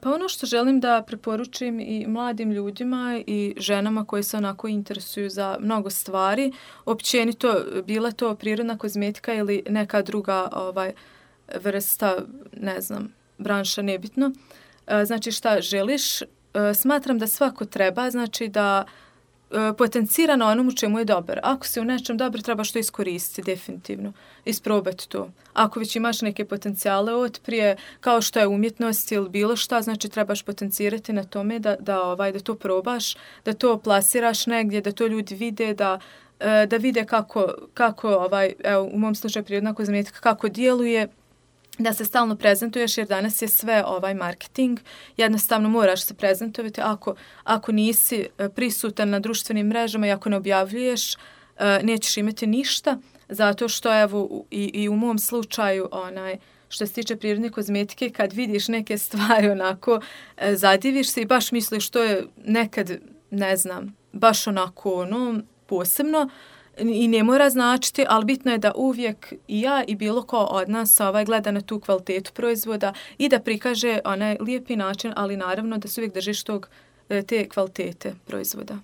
Pa ono što želim da preporučim i mladim ljudima i ženama koji se onako interesuju za mnogo stvari, općenito bila to prirodna kozmetika ili neka druga vrsta, ne znam, branša, nebitno. Znači šta želiš? Smatram da svako treba, znači da potencira na onom u čemu je dobar. Ako si u nečem dobar, trebaš to iskoristiti definitivno. Isprobati to. Ako već imaš neke potencijale od prije, kao što je umjetnost ili bilo šta, znači trebaš potencirati na tome da to probaš, da to plasiraš negdje, da to ljudi vide, da vide kako evo, u mom slučaju prirodna kozmetika, kako djeluje, da se stalno prezentuješ, jer danas je sve marketing. Jednostavno moraš se prezentovati. Ako nisi prisutan na društvenim mrežama i ako ne objavljuješ, nećeš imati ništa, zato što evo i u mom slučaju što se tiče prirodne kozmetike, kad vidiš neke stvari onako, zadiviš se i baš misliš što je nekad, ne znam, baš onako posebno, i ne mora značiti, ali bitno je da uvijek i ja i bilo ko od nas gleda na tu kvalitetu proizvoda i da prikaže onaj lijepi način, ali naravno da se uvijek držiš te kvalitete proizvoda.